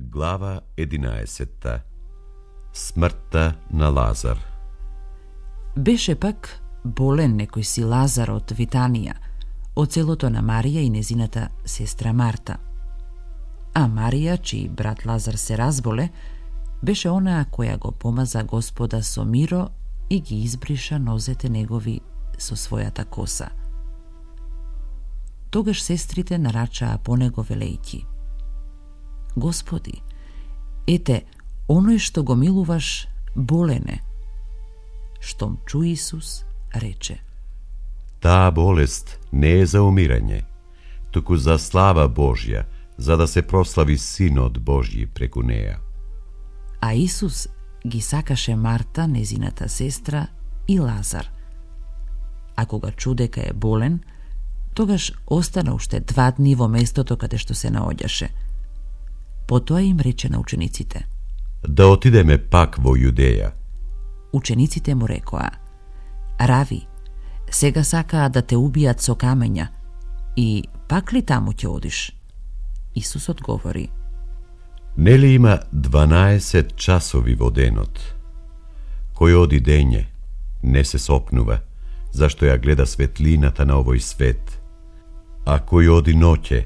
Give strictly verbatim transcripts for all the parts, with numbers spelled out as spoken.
Глава единаесетта. Смртта на Лазар. Беше пак болен некој си Лазар од Витанија, од селото на Марија и незината сестра Марта. А Марија, чиј брат Лазар се разболе, беше онаа која го помаза Господа со миро и ги избриша нозете негови со својата коса. Тогаш сестрите нарачаа по него велејќи: Господи, ете, оној што го милуваш болене. Штом чу Исус, рече: Таа болест не е за умирање, туку за слава Божја, за да се прослави Синот Божји преку неа. А Исус ги сакаше Марта, незината сестра, и Лазар. А кога чу дека е болен, тогаш остана уште два дни во местото каде што се наоѓаше. Потоа им рече на учениците: Да отидеме пак во Јудеја. Учениците му рекоа: Рави, сега сакаа да те убијат со камења, и пак ли таму ќе одиш? Исус одговори: Нели има дванаесет часови во денот? Кој оди дење, не се сопнува, зашто ја гледа светлината на овој свет. А кој оди ноќе,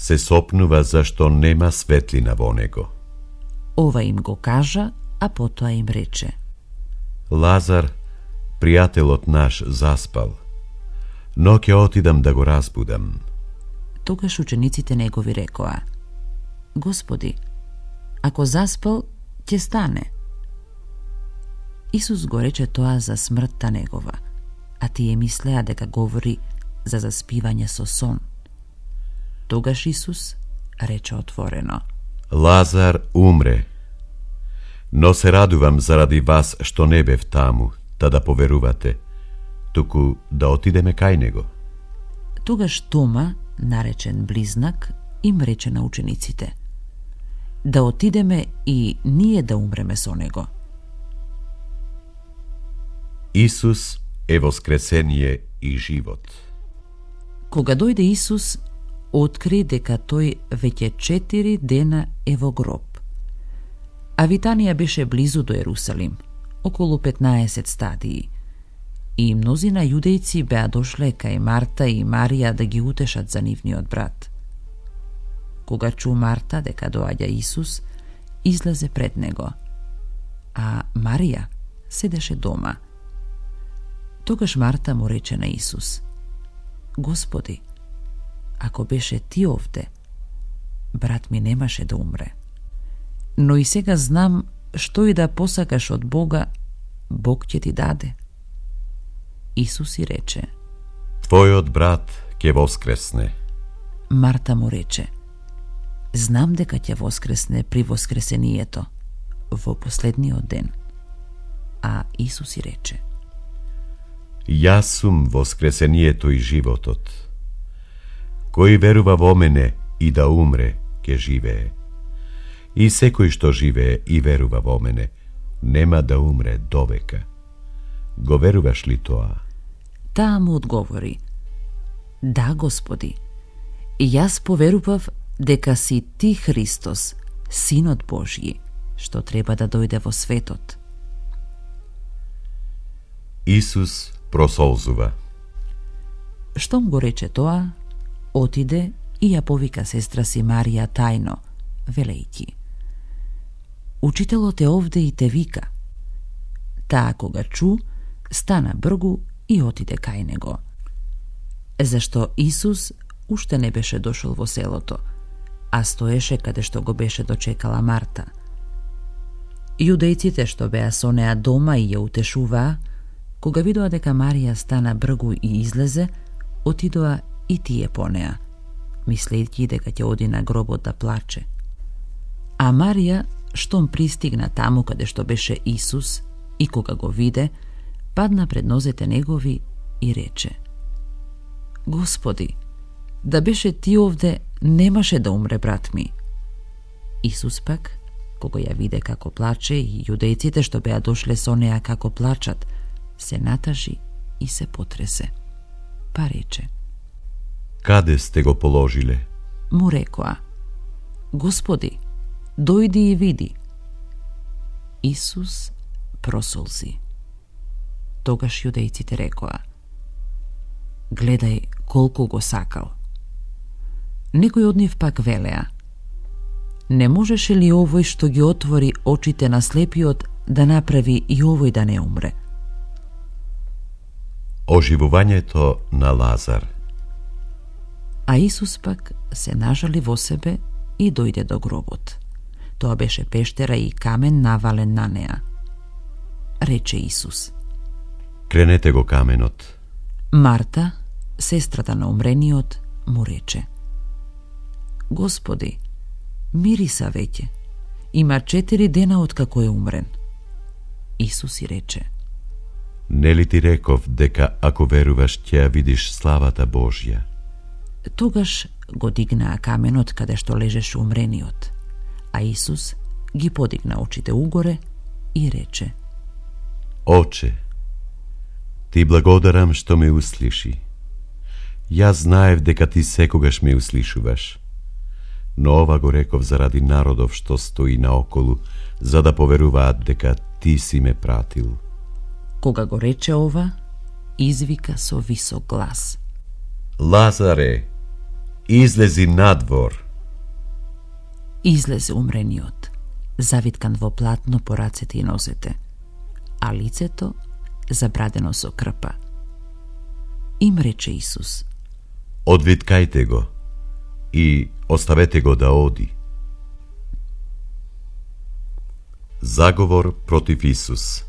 се сопнува зашто нема светлина во него. Ова им го кажа, а потоа им рече: Лазар, пријателот наш, заспал, но ќе отидам да го разбудам. Тогаш учениците негови рекоа: Господи, ако заспал, ќе стане. Исус го рече тоа за смртта негова, а тие мислеа дека говори за заспивање со сон. Тогаш Исус рече отворено: Лазар умре, но се радувам заради вас што не бев таму, та да поверувате, туку да отидеме кај него. Тогаш Тома, наречен Близнак, им рече на учениците: Да отидеме и ние да умреме со него. Исус е воскресение и живот. Кога дојде Исус, откри дека тој веќе четири дена е во гроб. А Витанија беше близу до Ерусалим, околу петнаесет стадии, и мнозина јудејци беа дошле кај Марта и Марија да ги утешат за нивниот брат. Кога чу Марта дека доаѓа Исус, излезе пред него, а Марија седеше дома. Тогаш Марта му рече на Исус: Господи, ако беше ти овде, брат ми немаше да умре. Но и сега знам што и да посакаш од Бога, Бог ќе ти даде. Исус и рече: Твојот брат ќе воскресне. Марта му рече: Знам дека ќе воскресне при воскресението, во последниот ден. А Исус и рече: Јас сум воскресението и животот. Кој верува во мене и да умре, ќе живее. И секој што живее и верува во мене, нема да умре довека. Го веруваш ли тоа? Таа му одговори: Да, Господи, и јас поверував дека си ти Христос, Синот Божји, што треба да дојде во светот. Исус просолзува. Штом го рече тоа, отиде и ја повика сестра си Марија тајно, велејќи: Учителот е овде и те вика. Таа кога чу, стана бргу и отиде кај него. Зашто Исус уште не беше дошол во селото, а стоеше каде што го беше дочекала Марта. Јудејците што беа со неа дома и ја утешуваа, кога видоа дека Марија стана бргу и излезе, отидоа и тие по неа, мислејќи дека ќе оди на гробот да плаче. А Марија, штом пристигна таму каде што беше Исус, и кога го виде, падна пред нозете негови и рече: Господи, да беше ти овде, немаше да умре брат ми. Исус пак, кога ја виде како плаче и јудејците што беа дошле со неа како плачат, се натажи и се потресе. Па рече: Каде сте го положиле? Му рекоа: Господи, дојди и види. Исус просолзи. Тогаш јудејците рекоа: гледај колку го сакал. Некој од нив пак велеа: не можеше ли овој што ги отвори очите на слепиот да направи и овој да не умре? Оживувањето на Лазар. А Исус пак се нажали во себе и дојде до гробот. Тоа беше пештера и камен навален на неа. Рече Исус: кренете го каменот. Марта, сестрата на умрениот, му рече: Господи, мириса веќе. Има четири дена откако е умрен. Исус и рече: нели ти реков дека ако веруваш ќе ја видиш славата Божја? Тогаш го дигнаа каменот каде што лежеше умрениот, а Исус ги подигна очите угоре и рече: Оче, ти благодарам што ме услиши. Јас знаев дека ти секогаш ме услишуваш, но ова го реков заради народов што стои наоколу, за да поверуваат дека ти си ме пратил. Кога го рече ова, извика со висок глас: Лазаре, излези надвор. Излезе умрениот, завиткан во платно по рацете и нозете, а лицето забрадено со крпа. Им рече Исус: одвиткајте го и оставете го да оди. Заговор против Исус.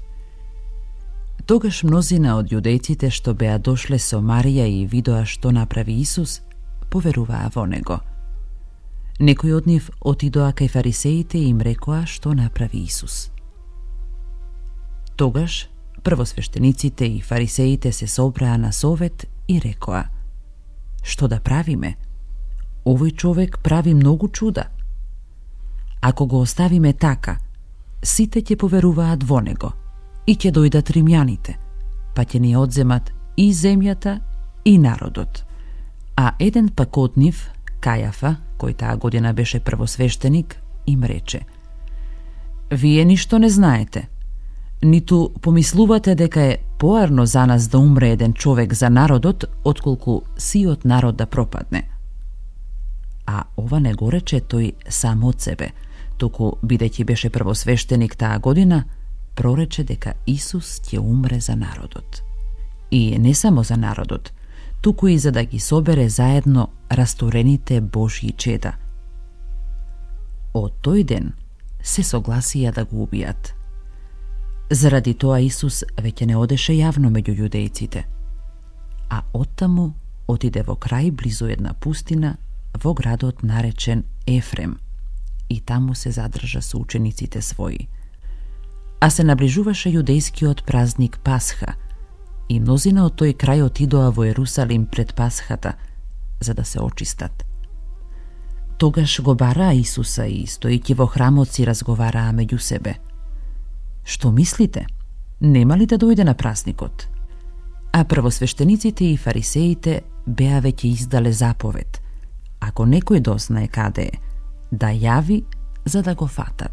Тогаш мнозина од јудејците што беа дошле со Марија и видоа што направи Исус, поверуваа во него. Некои од нив отидоа кај фарисеите и им рекоа што направи Исус. Тогаш првосвештениците и фарисеите се собраа на совет и рекоа: што да правиме? Овој човек прави многу чуда. Ако го оставиме така, сите ќе поверуваат во него и ќе дојдат римјаните, па ќе ни одземат и земјата и народот. А еден пак од нив, Кајафа, кој таа година беше првосвештеник, им рече: вие ништо не знаете, ниту помислувате дека е поарно за нас да умре еден човек за народот, отколку сиот народ да пропадне. А ова не го рече тој сам од себе, туку, бидејќи беше првосвештеник таа година, прорече дека Исус ќе умре за народот. И не само за народот, туку и за да ги собере заедно растурените Божји чеда. Од тој ден се согласија да го убијат. Заради тоа Исус веќе не одеше јавно меѓу јудејците, а оттаму отиде во крај близу една пустина во градот наречен Ефрем и таму се задржа со учениците своји. А се наближуваше јудејскиот празник Пасха и мнозина од тој крај отидоа во Ерусалим пред Пасхата, за да се очистат. Тогаш го бараа Исуса и, стојќи во храмот, си разговараа меѓу себе: што мислите? Нема ли да дојде на празникот? А првосвештениците и фарисеите беа веќе издале заповед: ако некој дознае каде е, да јави за да го фатат.